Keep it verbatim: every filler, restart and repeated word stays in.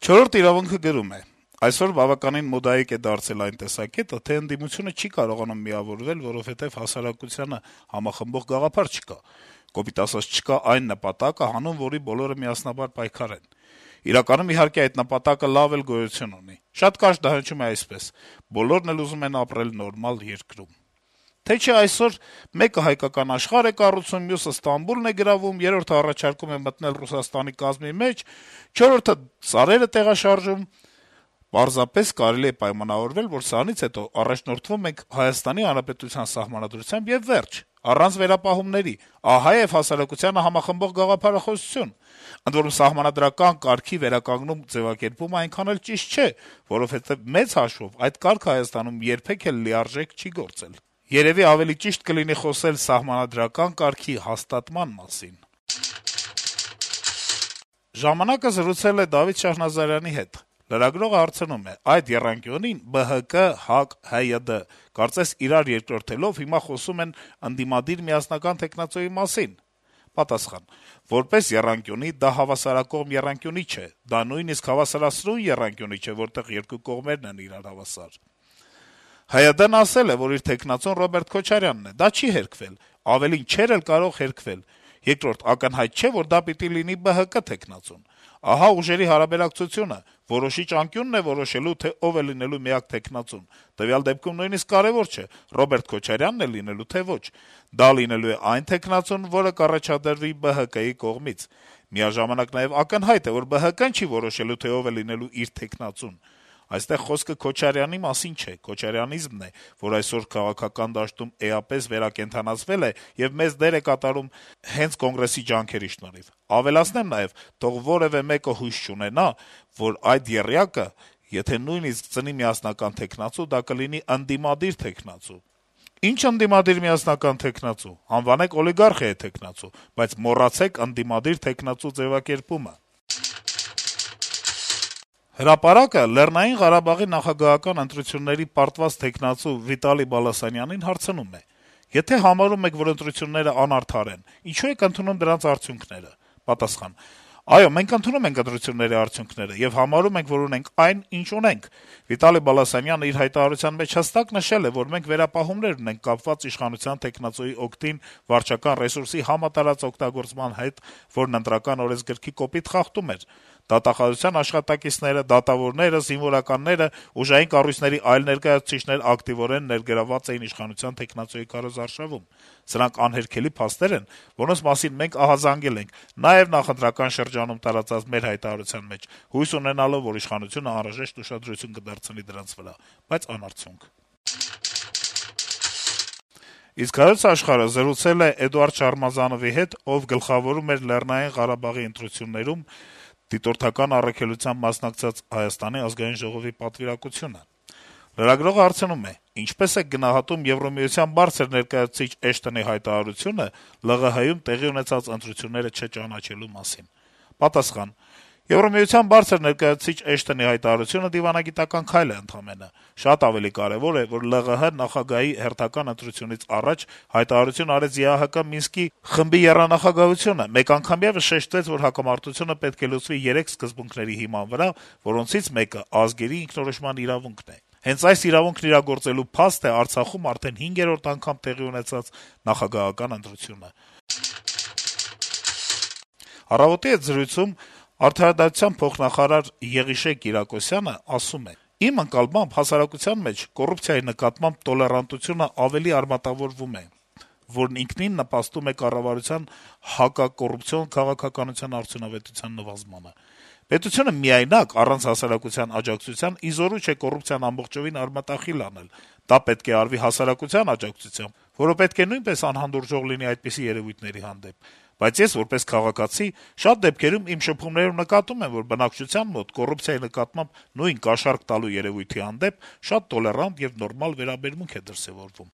«Չորրորդ իրավունքը» գրում է. - «Այսօր բավականին մոդայիկ է դարձել այն տեսակետը, թե ընդդիմությունը չի կարողանում միավորվել, որովհետեւ հասարակությանը համախմբող գաղափար չկա, կոպիտ ասած չկա այն նպատակը, հանուն որի բոլորը միասնաբար պայքարեն: Իրականում, իհարկե, այդ նպատակը լավ էլ գոյություն ունի: Շատ կարճ դա հնչում է այսպես. բոլորն էլ ուզում են ապրել նորմալ երկրում: Թե չէ այսօր մեկը հայկական աշխարհ է կառուցում, մյուսը Ստամբուլն է գրավում, երրորդը առաջարկում է մտնել Ռուսաստանի կազմի մեջ, չորրորդը սարեր է տեղաշարժում: Պարզապես կարելի է պայմանավորվել, որ սրանից հետո առաջնորդվում ենք Հայաստանի Հանրապետության Սահմանադրությամբ եւ վերջ, առանց վերապահումների: Ահա եւ հասարակությանը համախմբող գաղափարախոսություն: Ընդ որում, սահմանադրական կարգի վերականգնում ձեւակերպումը այնքան էլ ճիշտ չէ, որովհետեւ մեծ հաշվով այդ կարգը Հայաստանում երբեք էլ լիարժեք չի գործել: Երեւի ավելի ճիշտ կլինի խոսել սահմանադրական կարգի հաստատման մասին»: «Ժամանակ»-ը զրուցել է Դավիթ Շահնազարյանի հետ: Լրագրողը հարցնում է. - «Այդ եռանկյունին Бэ Հ Կը, ՀԱԿ, Հ Յ Դ կարծես իրար երկրորդելով հիմա խոսում են ընդդիմադիր միասնական թեկնածուի մասին»: Պատասխան. - «Որպես եռանկյունի դա հավասարակողմ եռանկյունի չէ, դա նույնիսկ հավասարասրուն եռանկյունի չէ, որտեղ երկու կողմերն են իրար հավասար: Հ Յ Դ-ն ասել է, որ իր թեկնածուն Ռոբերտ Քոչարյանն է: Դա չի հերքվել, ավելին, չէր էլ կարող հերքվել: Երկրորդ, ակնհայտ չէ, որ դա պիտի լինի Бэ Հ Կը թեկնածուն: Ահա ուժերի հարաբերակցությունը: Որոշիչ անկյունն է որոշելու, թե ով է լինելու միակ թեկնածուն: Տվյալ դեպքում նույնիսկ կարեւոր չէ` Ռոբերտ Քոչարյանն է լինելու, թե ոչ: Դա լինելու է այն թեկնածուն, որը կառաջադրվի Бэ Հ Կը-ի կողմից: Միաժամանակ նաեւ ակնհայտ է, որ Бэ Հ Կը-ն չի որոշելու, թե ով է լինելու իր թեկնածուն: Այստեղ խոսքը Քոչարյանի մասին չէ: Քոչարյանիզմն է, որ այսօր քաղաքական դաշտում էապես վերակենդանացվել է եւ մեծ դեր է կատարում հենց Կոնգրեսի ջանքերի շնորհիվ: Ավելացնեմ նաեւ, թող որեւէ մեկը հույս չունենա, որ այդ եռյակը, եթե նույնիսկ ծնի միասնական թեկնածու, դա կլինի ընդդիմադիր թեկնածու: Ի՞նչ ընդդիմադիր միասնական թեկնածու: Անվանեք օլիգարխիայի թեկնածու, բայց մոռացեք ընդդիմադիր թեկնածու ձեւակերպումը»: «Հրապարակ»-ը Լեռնային Ղարաբաղի նախագահական ընտրությունների պարտված թեկնածու Վիտալի Բալասանյանին հարցնում է. - «Եթե համարում եք, որ ընտրությունները անարդար են, ինչո՞ւ եք ընդունում դրանց արդյունքները»: Պատասխան. - «Այո, մենք ընդունում ենք ընտրությունների արդյունքները եւ համարում ենք, որ ունենք այն, ինչ ունենք»: Վիտալի Բալասանյանը իր հայտարարության մեջ հստակ նշել է, որ մենք վերապահումներ ունենք կապված իշխանության թեկնածուի օգտին վարչական ռեսուրսի համատարած օգտագործման հետ, որն Ընտրական օրենսգրքի կոպիտ խախտում էր: Դատախազության աշխատակիցները, դատավորները, զինվորականները, ուժային կառույցների այլ ներկայացուցիչներ ակտիվորեն ներգրավված էին իշխանության թեկնածուի քարոզարշավում: Սրանք անհերքելի փաստեր են, որոնց մասին մենք ահազանգել ենք, նաեւ նախընտրական շրջանում տարածած մեր հայտարարության մեջ, հույս ունենալով, որ իշխանությունը անհրաժեշտ ուշադրություն կդարձնի դրանց վրա, բայց անարդյունք»: Իսկ «Հայոց Աշխարհ»-ը զրուցել է Էդուարդ Շարմազանովի հետ, ով գլխավորում էր Լեռնային Ղարաբաղի ընտրություններում դիտորդական առաքելությամբ մասնակցած Հայաստանի ազգային ժողովի պատվիրակությունը: Լրագրողը հարցնում է. - «Ինչպե՞ս եք գնահատում Եվրամիության բարձր ներկայացուցիչ Էշտոնի հայտարարությունը Լեռնային Ղարաբաղում տեղի ունեցած ընտրությունները չճանաչելու մասին»: Պատասխան. - «Եվրամիության բարձր ներկայացուցիչ Էշտոնի հայտարարությունը դիվանագիտական քայլ է ընդամենը: Շատ ավելի կարեւոր է, որ Լեռնային Ղարաբաղի նախագահի հերթական ընտրությունից առաջ հայտարարություն արեց ԵԱՀԿ Մինսկի խմբի եռանախագահությունը: Մեկ անգամ եւս շեշտեց, որ հակամարտությունը պետք է լուծվի երեք սկզբունքների հիման վրա, որոնցից մեկը ազգերի ինքնորոշման իրավունքն է: Հենց այս իրավունքն իրագործելու փաստ է Արցախում արդեն հինգերորդ անգամ տեղի ունեցած նախագահական ընտրությունը»: «Առավոտ»-ի հետ զրույցում արդարադատության փոխնախարար Եղիշե Կիրակոսյանը ասում է. - «Իմ ընկալմամբ, հասարակության մեջ կոռուպցիայի նկատմամբ տոլերանտությունը ավելի արմատավորվում է, որն ինքնին նպաստում է կառավարության հակակոռուպցիոն քաղաքականության արդյունավետության նվազմանը: Պետությունը միայնակ, առանց հասարակության աջակցության, ի զորու չէ կոռուպցիան ամբողջովին արմատախիլ անել: Դա պետք է արվի հասարակության աջակցությամբ, որը պետք է նույնպես անհանդուրժող լինի այդպիսի երեւույթների հանդեպ: Բայց ես, որպես քաղաքացի, շատ դեպքերում իմ շփումներում նկատում եմ, որ բնակչության մոտ կոռուպցիայի նկատմամբ նույն կաշառք տալու երեւույթի հանդեպ շատ տոլերանտ եւ նորմալ վերաբերմունք է դրսեւորվում»: